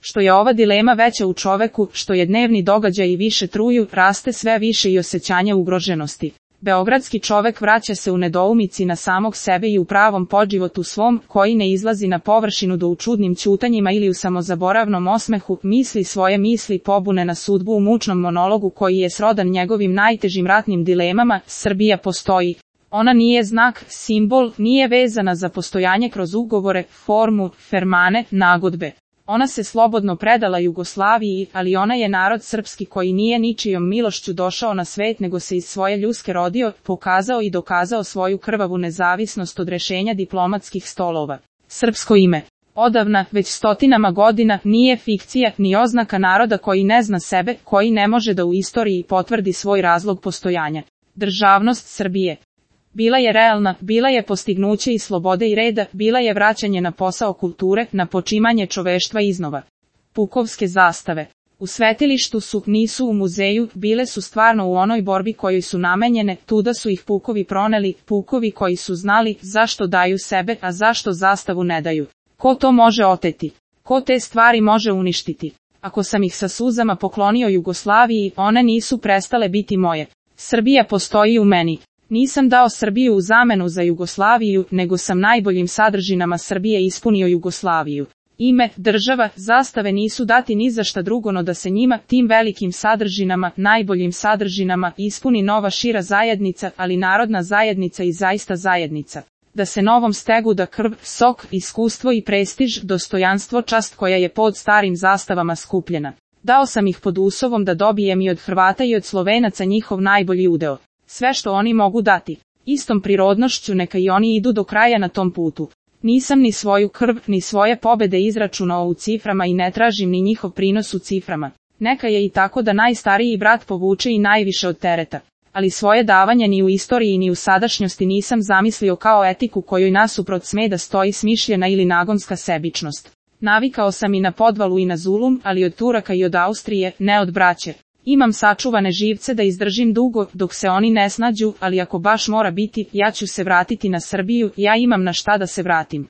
Što je ova dilema veća u čoveku, što je dnevni događaj i više truju, raste sve više i osjećanje ugroženosti. Beogradski čovek vraća se u nedoumici na samog sebe i u pravom podživotu svom, koji ne izlazi na površinu do u čudnim ćutanjima ili u samozaboravnom osmehu, misli svoje misli pobune na sudbu u mučnom monologu koji je srodan njegovim najtežim ratnim dilemama. Srbija postoji. Ona nije znak, simbol, nije vezana za postojanje kroz ugovore, formu, fermane, nagodbe. Ona se slobodno predala Jugoslaviji, ali ona je narod srpski koji nije ničijom milošću došao na svet nego se iz svoje ljuske rodio, pokazao i dokazao svoju krvavu nezavisnost od rešenja diplomatskih stolova. Srpsko ime. Odavna, već stotinama godina, nije fikcija ni oznaka naroda koji ne zna sebe, koji ne može da u istoriji potvrdi svoj razlog postojanja. Državnost Srbije. Bila je realna, bila je postignuće i slobode i reda, bila je vraćanje na posao kulture, na počimanje čoveštva iznova. Pukovske zastave. U svetilištu su, nisu u muzeju, bile su stvarno u onoj borbi kojoj su namenjene, tuda su ih pukovi proneli, pukovi koji su znali zašto daju sebe, a zašto zastavu ne daju. Ko to može oteti? Ko te stvari može uništiti? Ako sam ih sa suzama poklonio Jugoslaviji, one nisu prestale biti moje. Srbija postoji u meni. Nisam dao Srbiju u zamenu za Jugoslaviju, nego sam najboljim sadržinama Srbije ispunio Jugoslaviju. Ime, država, zastave nisu dati ni za šta drugo no da se njima, tim velikim sadržinama, najboljim sadržinama, ispuni nova šira zajednica, ali narodna zajednica i zaista zajednica. Da se novom stegu da krv, sok, iskustvo i prestiž, dostojanstvo, čast koja je pod starim zastavama skupljena. Dao sam ih pod uslovom da dobijem i od Hrvata i od Slovenaca njihov najbolji udeo. Sve što oni mogu dati. Istom prirodnošću neka i oni idu do kraja na tom putu. Nisam ni svoju krv, ni svoje pobede izračunao u ciframa i ne tražim ni njihov prinos u ciframa. Neka je i tako da najstariji brat povuče i najviše od tereta. Ali svoje davanje ni u istoriji ni u sadašnjosti nisam zamislio kao etiku kojoj nasuprot sme da stoji smišljena ili nagonska sebičnost. Navikao sam i na podvalu i na zulum, ali od Turaka i od Austrije, ne od braće. Imam sačuvane živce da izdržim dugo, dok se oni ne snađu, ali ako baš mora biti, ja ću se vratiti na Srbiju, ja imam na šta da se vratim.